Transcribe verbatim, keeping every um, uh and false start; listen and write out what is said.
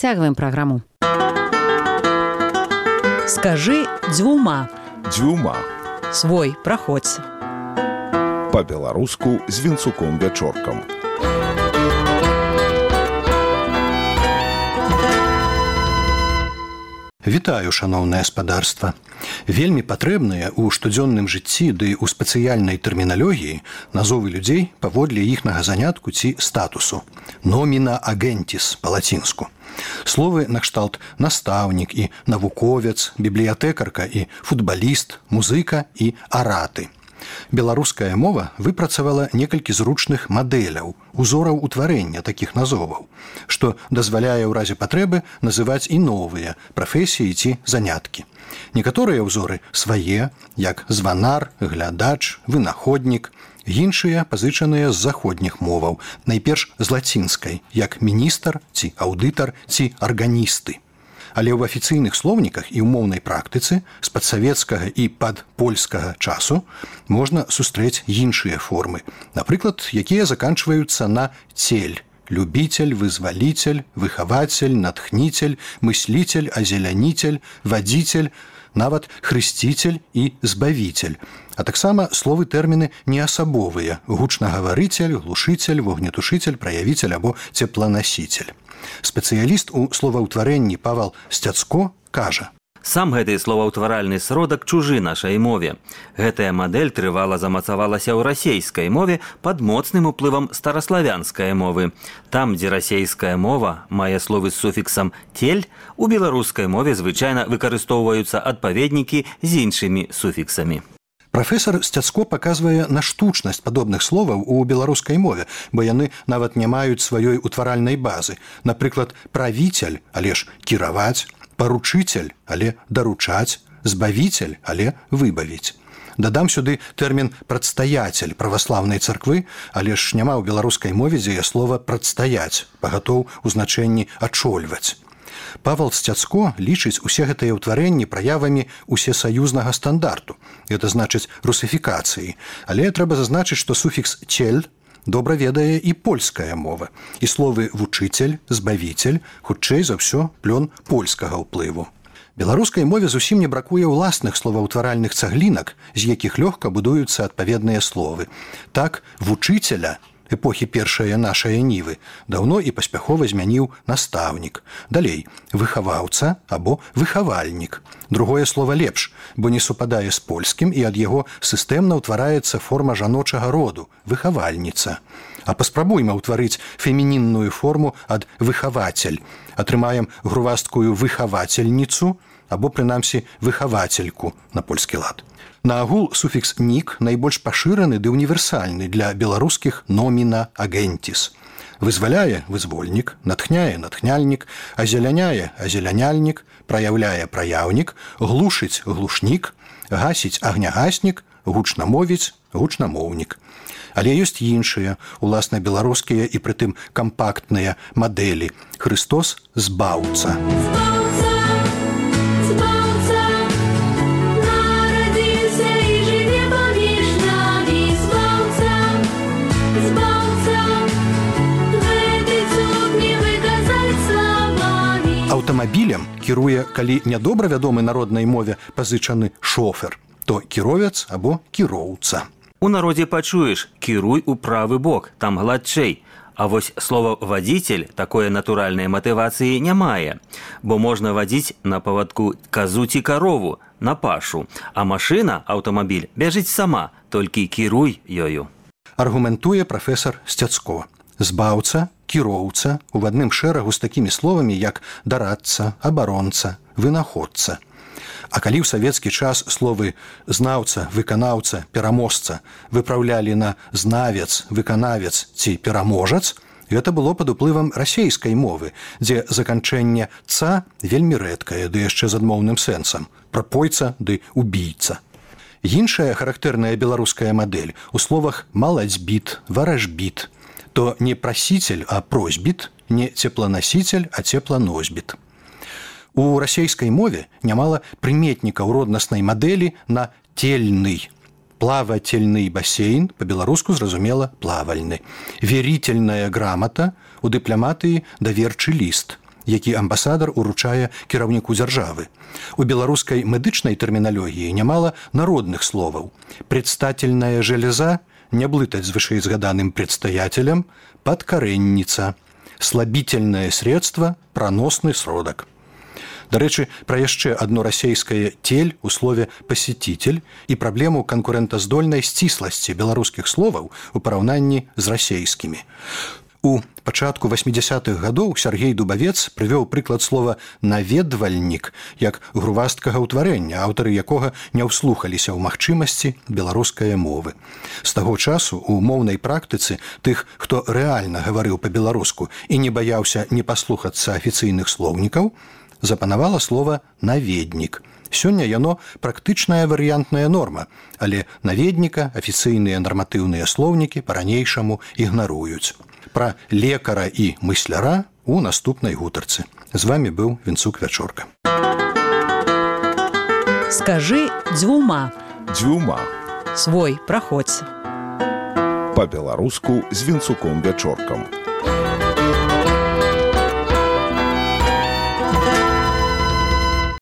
Цягваем праграму. Скажы дзвюма. Дзвюма. Свой, праходзь. Па-беларуску з Вінцуком Вячоркам. Вітаю, шаноўнае спадарства. Вельмі патрэбныя ў штодзённым жыцці ды ў спецыяльнай тэрміналогіі назовы людзей паводле іхнага занятку ці статусу. Nomina agentis па-лацінску. Словы накшталт настаўнік і навуковец, бібліятэкарка і футбаліст, музыка і араты. Беларуская мова выпрацавала некалькі зручных мадэляў, узораў утварэння такіх назоваў, што дазваляе ў разе патрэбы называць і новыя прафесіі ці заняткі. Некаторыя ўзоры свае, як званар, глядач, вынаходнік, іншыя пазычаныя з заходніх моваў, найперш з лацінскай, як міністр ці аўдытар ці арганісты. Але ў афіцыйных слоўніках і ў моўнай практыцы з падсавецкага і падпольскага часу можна сустрэць іншыя формы, напрыклад, якія заканчваюцца на цель, любитель, вызвалитель, выхаватель, натхнитель, мыслитель, озеляніцель, вадзіцель, нават хрысціцель і збавіцель. А таксама словы тэрміны неасабовыя: гучнагаварыцель, глушыцель, вогнетушыцель, праявіцель або цепланасіцель. Спецыяліст у словаўтварэнні Павал Сцяцко кажа: Сам гэты словаўтваральны сродак чужы нашай мове. Гэтая мадэль трывала замацавалася ў расейскай мове пад моцным уплывам стараславянскай мовы. Там, дзе расейская мова мае словы з суфіксам «тель», у беларускай мове звычайна выкарыстоўваюцца адпаведнікі з іншымі суфіксамі. Прафесар Сцяцко паказвае на штучнасць падобных словаў у беларускай мове, бо яны нават не маюць сваёй утваральнай базы. Напрыклад, правіцель, але ж кіраваць, паручыцель, але даручаць, збавіцель, але выбавіць. Дадам сюды тэрмін «прадстаяцель» праваслаўнай царквы, але ж няма ў беларускай мове дзеяслова «прадстаяць», пагатоў у значэнні «ачольваць». Павал Сцяцко лічыць усе гэтыя ўтварэнні праявамі усесаюзнага стандарту, гэта значыць русыфікацыі, але трэба зазначыць, што суфікс «цель» добра ведае і польская мова, і словы «вучыцель», «збавіцель» хутчэй за ўсё плён польскага ўплыву. Беларускай мове зусім не бракуе ўласных словаўтваральных цаглінак, з якіх лёгка будуюцца адпаведныя словы. Так, «вучыцеля» эпохі першае нашае нівы даўно і паспяхова змяніў настаўнік. Далей, выхаваўца або выхавальнік. Другое слова лепш, бо не супадае з польскім, і ад яго сістэмна ўтвараецца форма жаночага роду – выхавальніца. А паспрабуйма ўтварыць фемінінную форму ад выхавацель. Атрымаем грувасткую выхавацельніцу або, прынамсі, выхавацельку на польскі лад. Наагул суфікс «нік» найбольш пашыраны ды універсальны для беларускіх «nomina agentis». Вызваляе – вызвольнік, натхняе – натхняльнік, азеляняе – азеляняльнік, праяўляе – праяўнік, глушыць – глушнік, гасіць – агнягаснік, гучнамовіць – гучнамоўнік. Але ёсць іншыя, уласна беларускія і прытым кампактныя мадэлі. Хрыстос – збаўца. Аўтамабілем кіруе, калі нядобра вядомы народнай мове пазычаны шофер, то кіровец або кіроўца. У народзе пачуеш «кіруй у правы бок», там гладчэй. А вось слова «вадзіцель» такое натуральнай матывацыі не мае, бо можна вадзіць на павадку казу ці карову, на пашу, а машына, аўтамабіль, бяжыць сама, толькі кіруй ёю. Аргументуе прафесар Сцяцко. Збаўца, кіроўца у адным шэрагу з такімі словамі, як дарадца, абаронца, вынаходца. А калі ў савецкі час словы знаўца, выканаўца, пераможца выпраўлялі на знавец, выканавец ці пераможац, гэта было пад уплывам расейскай мовы, дзе заканчэнне «ца» вельмі рэдкае, ды яшчэ з адмоўным сэнсам – прапойца ды убійца. Іншая характэрная беларуская мадэль у словах «малацьбіт», «варажбіт», то не прасіцель, а просьбіт, не цепланасіцель, а цепланосьбіт. У расейскай мове нямала прыметнікаў роднаснай мадэлі на «тельны». Плавательны бассейн, па-беларуску зразумела плавальны. Верительная грамата, у дыпламатыі даверчы ліст. які амбасадар уручае кіраўніку дзяржавы. У беларускай медычнай тэрміналогіі нямала народных словаў. Предстательная железа не блытаць з вышэйзгаданым предстаятелем, падкарэнніца, слабительное средство, праносны сродак. Дарэчы, пра яшчэ адно расейскае «тель» у слове «пасетитель» і праблему канкурэнтаздольнай сцісласці беларускіх словаў у параўнанні з расейскімі. У пачатку васьмідзясятых гадоў Сяргей Дубавец прывёў прыклад слова «наведвальнік» як грувасткага ўтварэння, аўтары якога не ўслухаліся ў магчымасці беларускай мовы. З таго часу у моўнай практыцы тых, хто рэальна гаварыў па-беларуску і не баяўся не паслухацца афіцыйных слоўнікаў, запанавала слова «наведнік». Сёння яно практычная варыянтная норма, але наведніка афіцыйныя нарматыўныя слоўнікі па-ранейшаму ігнаруюць. Пра лекара і мысляра у наступнай гутарцы. З вамі быў Вінцук Вячорка. Скажы дзвюма. Дзвюма. Свой праходзь. Па-беларуску з Вінцуком Вячоркам.